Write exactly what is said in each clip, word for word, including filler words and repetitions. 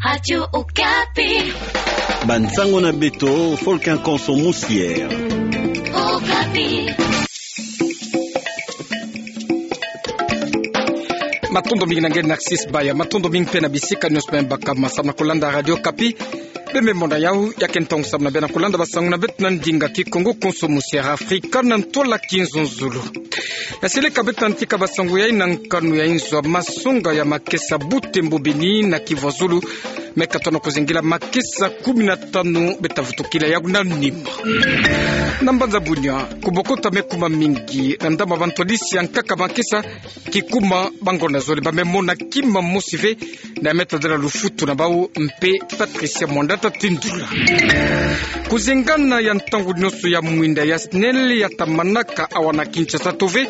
Radio Okapi. Bansango na beto, Volcan Konso Musière. Okapi. Matondo mingi na nge Narcisse Baya, matondo mingi mpe na bisika nionso bima baka ma samu na kolanda Radio Okapi. Bembe mona yau, ya ke ntangu samu na beno kolanda basango na beto na ndinga Kikongo, Konso Musière Afrika na ntwala kinzonzolo. Ya seleka beto na ntika basango yai na nkanu ya inzo ya masonga ya Makesa Butembo Beni na Kivu ya Zulu, me katona kuzingila makesa kumi na tanu beta vutukila yau na nima. Na mbanza Bunia, kubokota me kuma mingi na ndambu ya bantwadisi ya nkaka makesa, kikuma bangonda zole, ba me mona kima mosi ve, na me tadila lufutu na bau mpe Patricia Mwanda ta tindula. Kuzengana ya ntangu nionso ya mwinda ya SNEL ya ta manaka awa na Kinshasa to ve,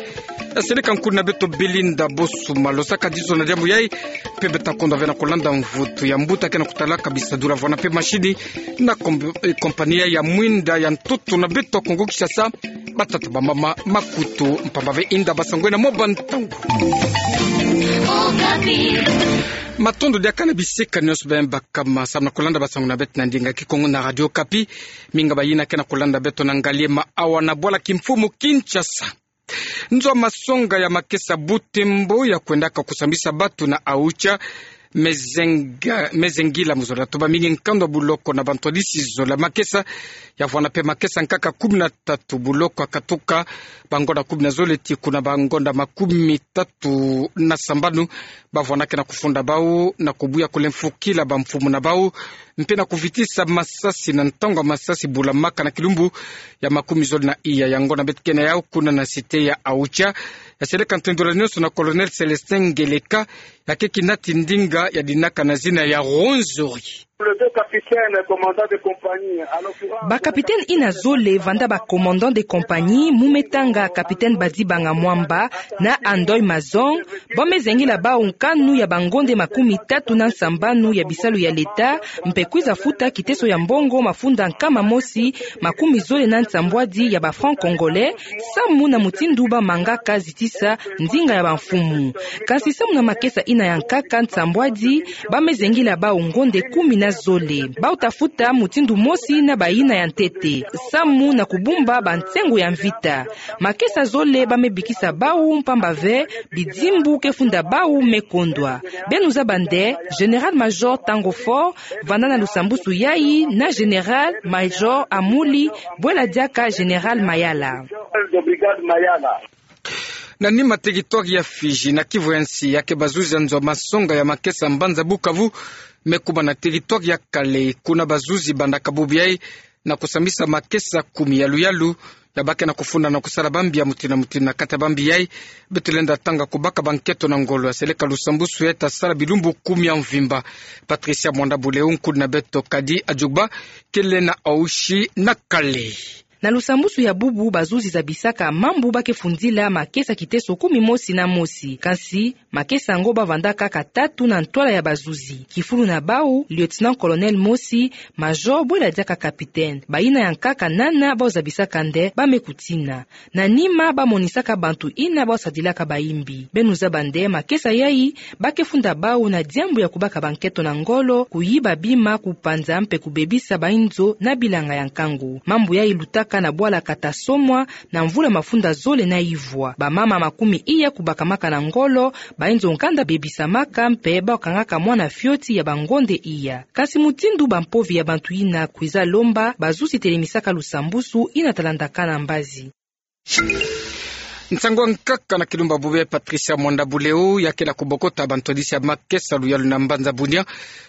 ya seleka nkulu na beto Belinda Bosuma losaka dizo na diambu yai, mpe beta kondwa ve na kolanda mvutu ya mbuta ke na kutalaka bisadula vwanda mpe mashini na kom-, eh, kompani ya mwinda ya ntoto na beto Kongo Kinshasa, batata, bamama, makutu, mpamba ve inda basango na mwa bantangu. Matondo diaka na bisika nionso bima baka ma samu na kolanda basango na beto na ndinga Kikongo na Radio Okapi. Mingi bayina ke na kolanda beto na ngaliema awa na bwala kimfumu Kinshasa. Nzo ya masonga ya makesa Butembo ya kwendaka kusambisa batu na Aocha, mezenga-, mezengila mu zola toba mingi nkanda buloko na bantwadisi zola makesa, ya vwanda mpe makesa nkaka kumi na tatu, buloko ya katuka bangonda kumi na zole tii kuna bangonda makumi tatu na sambanu, ba vwandaka na kufunda bau na kubuya kulemfukila bamfumu na bau, mpe na kuvitisa masasi na ntangu ya masasi bula maka na kilumbu ya makumi zole na iya. Yango na beto ke na yau kuna na cité ya Aocha. Ya seleka ntendula nionso na Colonel Célestin Ngeleka, ya ke kinati ndinga ya dinaka na zina ya Rwenzori. Bakapiteni ina zole vanda ba commandant de compagnie, mu me tanga Kapiteni Badibanga Mwamba na Andoy Mazong, ba mezengila bau nkanu ya bangonde makumi tatu na nsambanu ya bisalu ya leta, mpe kwiza futa kiteso ya mbongo mafunda nkama mosi makumi zole na nsambwadi ya ba francs congolais, samu na mutindu ba mangaka zitisa ndinga ya bamfumu. Kansi samu na makesa ina ya nkaka nsambwadi, ba mezengila bau ngonde kumi na zole. Bau ta futa mutindu mosi na bayina ya ntete, samu na kubumba bansengo ya mvita. Makesa zole ba mebikisa bau mpamba ve bidimbu ke funda bau me kondwa. Beno zaba nde Général-Major Tango Faure vanda na lusambusu yai na Général-Major Amuli Bwela Diaka Général Mayala. Na nima, territoire ya Fidji na Kivu ya nsi, ya ke bazuzi ya nzo ya masonga ya makesa mbanza Bukavu, me kuma na territoire ya Kale, kuna bazuzi bandaka bubu yai na kusambisa makesa kumi ya luyalu, ya ba ke na kufunda na kusala bambi ya mutindu na mutindu. Na kati ya bambi yai, beto lenda tanga kubaka banketo na ngolo. Ya seleka lusambusu yai ta sala bilumbu kumi ya mvimba. Patricia Mwanda Buleu, nkulu na beto Kadi Adjouba, kele na Aochi na Kale. Na lusambusu ya bubu, bazuzi zabisaka mambu ba ke fundila makesa kiteso kumi mosi na mosi. Kansi makesa yango ba vandaka kaka tatu na ntwala ya bazuzi. Kifulu na bau, lieutenant-colonel mosi, major bwela diaka capitaine. Bayina ya nkaka nana bau zabisaka nde ba me kutina. Na nima, ba monisaka bantu yina bau sadilaka bayimbi. Beno zaba nde makesa yai, ba ke funda bau na diambu ya kubaka banketo na ngolo, kuyiba bima, kupanza mpe kubebisa bayinzo na bilanga ya nkangu. Mambu yai lutaka na bwala kata somwa na mvula mafunda zole na ivwa. Bamama makumi iya kubakamaka na ngolo, bayinzo nkanda bebisamaka mpe bau kangaka mwana fioti ya bangonde iya. Kansi mutindu bampovi ya bantu yina kwiza lomba, bazuzi telemisaka lusambusu yina ta landaka na mbazi. Nsangu ya nkaka na kilumbu ya bubu yai, Patricia Mwanda Buleu, ya ke na kubokota bantwadisi ya makesa luyalu na mbanza Bunia.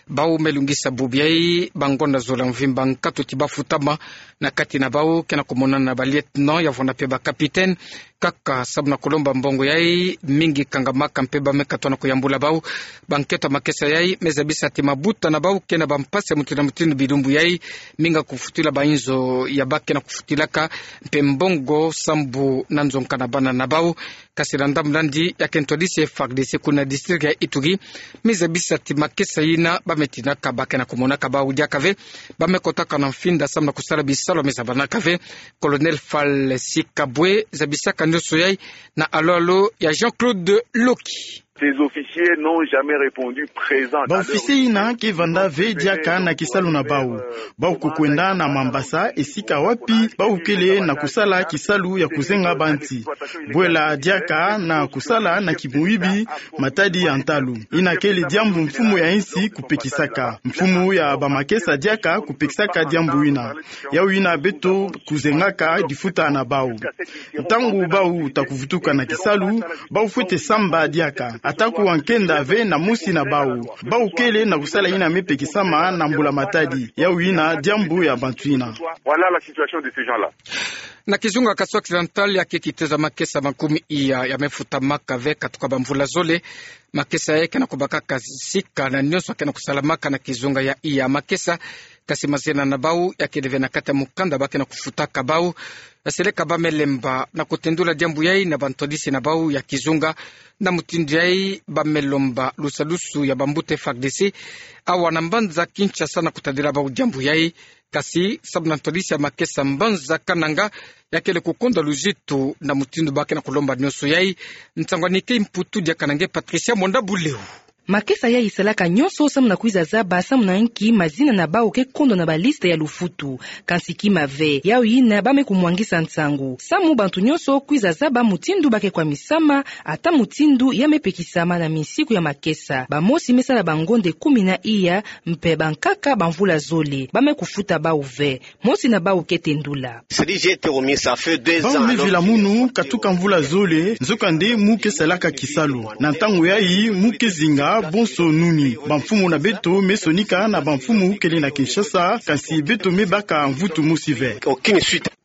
Bau me lungisa bubu yai bangonda zola mvimba nkatu ti ba futama. Na kati na bau ke na kumonana na ba lieutenant, ya vwanda mpe ba capitaine. Kaka samu na kulomba mbongo yai, mingi kangamaka mpe ba me katwa na kuyambula bau. Banketo ya makesa yai me zabisa ti mabuta na bau ke na bampasi ya mutindu na mutindu bilumbu yai, mingi kufutila bayinzo ya ba ke na kufutilaka, mpe mbongo sambu na nzonka na bana na bau. Kansi na ndambu nandi, ya ke ntwadisi ya F A R D C kuna district ya Ituri me zabisa ti makesa yina ba me tinaka ba ke na kumonaka bau diaka ve, ba me kotaka na mfinda samu na kusala bisalu me zabanaka ve. Colonel Fall Sikabwe zabisaka nionso yai na alo-alo ya Jean-Claude Loki. Ces officiers n'ont jamais répondu présent à l'heure. Baofficier ina ke vanda ve diaka na kisalu na bau. Bau kukwenda na mambasa, esika wapi bau kele na kusala kisalu ya kuzenga banti. Bwela diaka na kusala na kimoyibi matadi ya ntalu. Ina kele diambu mfumu ya insi kupekisaka. Mfumu ya bamakesa diaka kupekisaka diambu ina. Yau ina beto kuzengaka difuta na bau. Ntangu bau ta kuvutuka na kisalu, bau fwete samba diaka. Ata kuwa nkenda ve na mosi na bau. Bau kele na kusala ina me pekisama na mbula matadi. Yau ina diambu ya bantu ina. Voilà la situation de ces gens-là. Na kizunga Kasai Occidental, ya ke kitezo makesa makumi iya ya me futamaka ve katuka bamvula zole. Makesa ya ke na kubakaka sika na nionso ke na kusalamaka na kizunga ya iya makesa. Kasi mazena na bau ya kele ve na kati ya mukanda ba ke na kufutaka bau. Seleka ba me lemba na kutendula diambu yai na bantwadisi na bau ya kizunga. Na mutindu yai ba me lomba lusalusu ya bambuta F A R D C awa na mbanza Kinshasa na kutadila bau diambu yai. Kasi samu na ntwadisi ya makesa mbanza Kananga ya kele kukondwa luzitu na mutindu ba ke na kulomba nionso yai. Nsangu ya Nikkei Mputu diaka na nge Patricia Mwanda Buleu. Makesa yai salaka nionso samu na kwiza zaba samu na nki mazina na bau ke kondwa na baliste ya lufutu. Kansi kima ve, yau ina ba me kumwangisa nsangu. Samu bantu nionso kwiza zaba mutindu ba ke kwamisama, ata mutindu ya me pekisama na minsiku ya makesa. Bamosi me sala bangonde kumi na iya, mpe bankaka bamvula zole. Ba me kufuta bau ve. Mosi na bau ke tendula. Bau me vila munu katuka mvula zole, nzokande mu ke salaka kisalu. Na ntangu yai mu ke zinga bonso nuni. Bamfumu na beto me sonika na bamfumu kele na Kinshasa, kansi beto me baka mvutu mosi ve.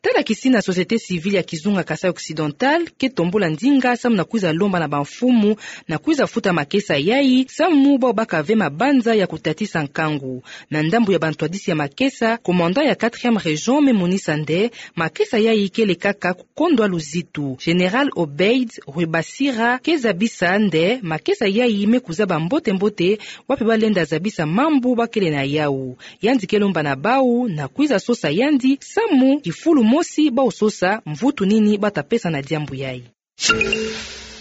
Tala kisina société civile ya kizunga Kasai Occidental ke tombula ndinga samu na kwiza lomba na bamfumu na kwiza futa makesa yai, samu bau baka ve mabanza ya kutatisa nkangu. Na ndambu ya bantwadisi ya makesa, commandant ya quatrième région me monisa nde makesa yai kele kaka kukondwa luzitu. Général Obeid Rwebasira ke zabisa nde makesa yai me kuzaba mbote-mbote wapi ba lenda zabisa mambu ba kele na yau. Yandi ke lomba na bau na kwiza sosa yandi samu kifulu mosi bau sosa mvutu nini ba ta pesa na diambu yai.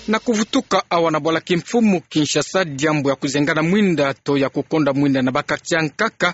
Na kuvutuka awa na bwala kimfumu Kinshasa, diambu ya kuzengana mwinda to ya kukondwa mwinda na ba quartier ya nkaka,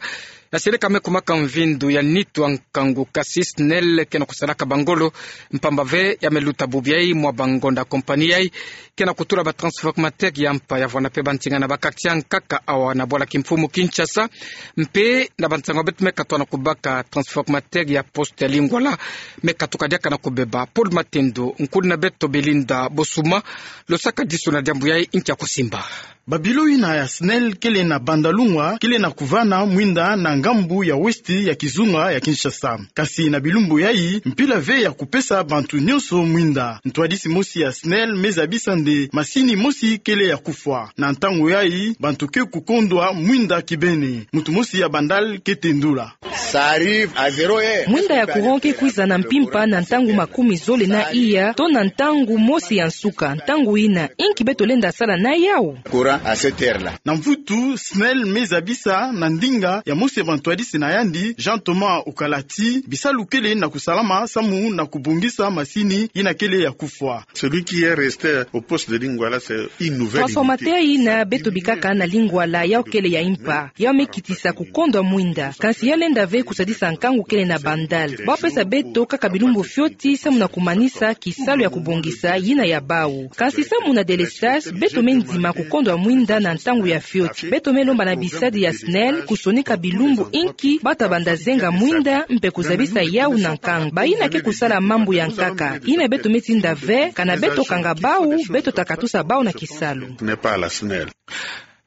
ya seleka me kumaka mvindu ya nitu ya nkangu. Kasi SNEL ke na kusalaka bangolo, mpamba ve ya me luta bubu yai mwa bangonda compagnie yai ke na kutula ba transformateur ya mpa ya vwanda mpe bantinga na ba quartier ya nkaka awa na bwala kimfumu Kinshasa. Mpe na bansangu ya beto me katuka na kubaka, transformateur ya poste ya Lingwala me katuka diaka na kubeba. Paul Matendo, nkulu na beto Belinda Bosuma, lo saka disu na diambu yai, nki ya kusimba. Ba bilo ina ya SNEL kele na Bandalungwa kele na kuvana mwinda na ngambu ya westi ya kizunga ya Kinshasa. Kasi na bilumbu yai, mpila ve ya kupesa bantu nionso mwinda. Ntwadisi mosi ya SNEL me zabisa nde masini mosi kele ya kufwa. Na ntangu yai, bantu ke kukondwa mwinda kibeni. Muntu mosi ya Bandal ke tendula. Ça arrive à zéro heure. Mwinda ya courant ke kwiza na mpimpa na ntangu makumi zole na iya, to na ntangu mosi ya nsuka. Ntangu ina, nki beto lenda sala na yau? Courant à cette heure-là. Na mvutu, SNEL me zabisa na ndinga ya mosi ya bantwadisi na yandi, Jean Thomas Okalati, bisalu kele na kusalama samu na kubongisa masini ina kele ya kufwa. Celui qui est resté au poste de Lingwala, c'est une nouvelle unité. Transformateur ina beto bikaka na Lingwala, yau kele ya mpa. Yau me kitisa kukondwa mwinda. Kansi yau lenda ve kusadisa nkangu kele na Bandal. Ba pesa beto kaka bilumbu fioti samu na kumanisa kisalu ya kubongisa yina ya bau. Kansi samu na délestage, beto me ndima kukondwa mwinda na ntangu ya fioti. Beto me lomba na bisadi ya SNEL kusonika bilumbu nki ba ta banda zenga mwinda mpe kuzabisa yau na nkangu. Bayina ke kusala mambu ya nkaka. Yina beto me tinda ve, kana beto kanga bau, beto ta katusa bau na kisalu. N'est pas la SNEL.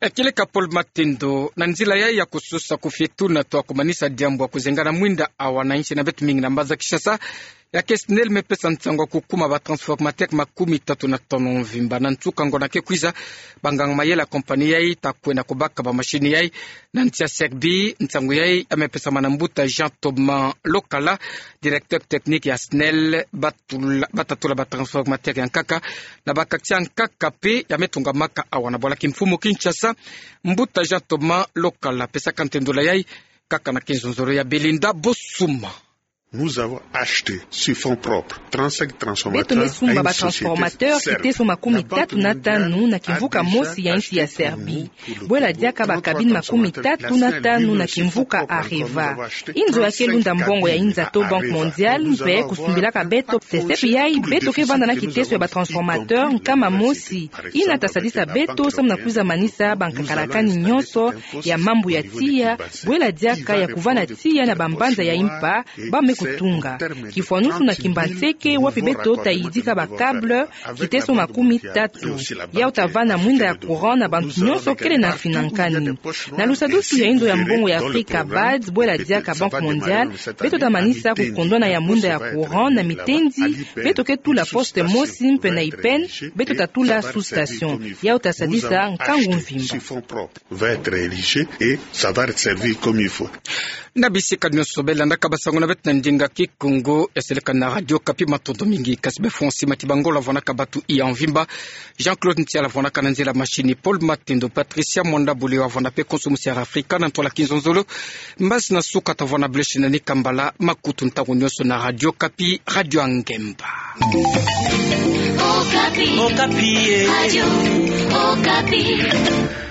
E, kieleka Paul Matendo, na nzila yai ya kusosa kufietuna to kumanisa diambu ya kuzengana mwinda awa na nsi na beto mingi na mbanza Kinshasa, ya ke SNEL me pesa nsangu ya kukuma ba transformateur makumi tatu na tanu mvimba. Na nsuka ngonda ke kwiza, banganga mayela ya compagnie yai ta kwenda kubaka ba masini yai na nsi ya Serbie. Nsangu yai ya me pesama na mbuta Jean Thomas Lokala, directeur technique ya SNEL. Ba tula, ba ta tula ba transformateur ya nkaka na ba quartier ya nkaka mpe ya me tungamaka awa na bwala kimfumu Kinshasa. Mbuta Jean Thomas Lokala, pesaka ntendula yai kaka na kinzonzolo ya Belinda Bosuma. Nous avons acheté sur fonds propres trente-cinq transformateurs. Beto me sumba ba transformateur kiteso makumi tatu na tanu na kimvuka mosi ya insi ya Serbie. Bwela diaka ba cabine makumi tatu na tanu na kimvuka Areva. Inzo ya ke lunda mbongo ya inza to Banque Mondiale mpe kusumbelaka beto. Sesepi yayi beto ke vanda na kiteso ya ba transformateur nkama mosi. Ina ta sadisa beto samu na kwiza manisa ba nkakalakani nyonso ya mambu ya tiya, bwela diaka ya kuvana tiya na ba mbanza ya impa ba me kutunga. Kifwanusu na Kimbanseke wapi beto ta yidika ba câble kiteso makumi tatu. Yawu ta vana mwinda ya courant na bantu nyonso kele na mfinankani. Na lusadusu ya inzo ya mbongo ya Afrika, bad, bwela diaka Banque Mondiale, beto ta manisa kukondwana ya mwinda ya courant na mitendi beto ke tula poste mosi mpe na ipeni beto ta tula sous-station. Yawu ta sadisa nkangu mvimba. Va être érigé et ça va être servi comme il faut. Na bisika nyonso beno landaka ba sango na beto na ndinga Kikongo, ya seleka na Radio Okapi. Matondo mingi. Kasi be Francis Matibangola vwanaka batu iya mvimba. Jean-Claude Ntiala vwanaka na nzila machine. Paul Matendo, Patricia Mwanda Bulewa vwana pe konso musi ya Afrika na ntwala kinzonzolo. Mbasi na suka ta vwana bleu chez nani kambala makutu ntangu nyonso na Radio Okapi, radio ya ngemba. Okapi. Okapi, eh. Radio Okapi.